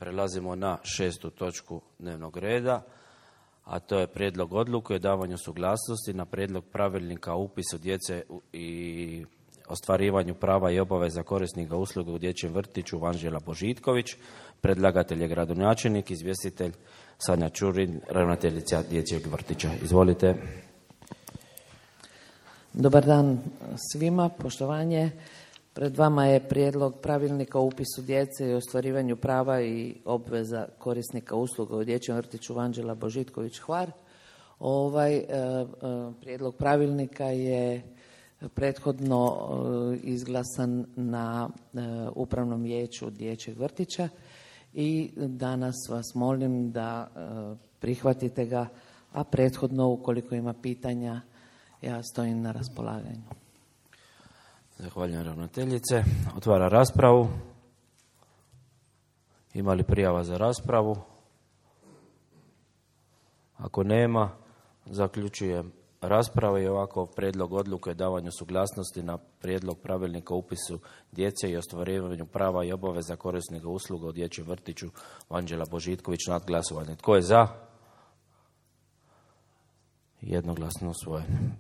Prelazimo na 6. točku dnevnog reda, a to je prijedlog odluke o davanju suglasnosti na prijedlog pravilnika o upisu djece i ostvarivanju prava i obaveza korisnika usluga u dječjem vrtiću Vanđela Božitković. Predlagatelj je gradonačelnik, izvjestitelj Sanja Čurin, ravnateljica dječjeg vrtića. Izvolite. Dobar dan svima, poštovanje. Pred vama je prijedlog pravilnika o upisu djece i ostvarivanju prava i obveza korisnika usluga u dječjem vrtiću Vanđela Božitković Hvar. Ovaj prijedlog pravilnika je prethodno izglasan na upravnom vijeću dječjeg vrtića i danas vas molim da prihvatite ga, a prethodno ukoliko ima pitanja ja stojim na raspolaganju. Zahvaljujem ravnateljice. Otvara raspravu. Ima li prijava za raspravu? Ako nema, zaključujem raspravu i ovako prijedlog odluke o davanju suglasnosti na prijedlog pravilnika o upisu djece i ostvarivanju prava i obaveza korisnika usluga u dječjem vrtiću Vanđela Božitković nad glasovanje. Tko je za? Jednoglasno usvojen.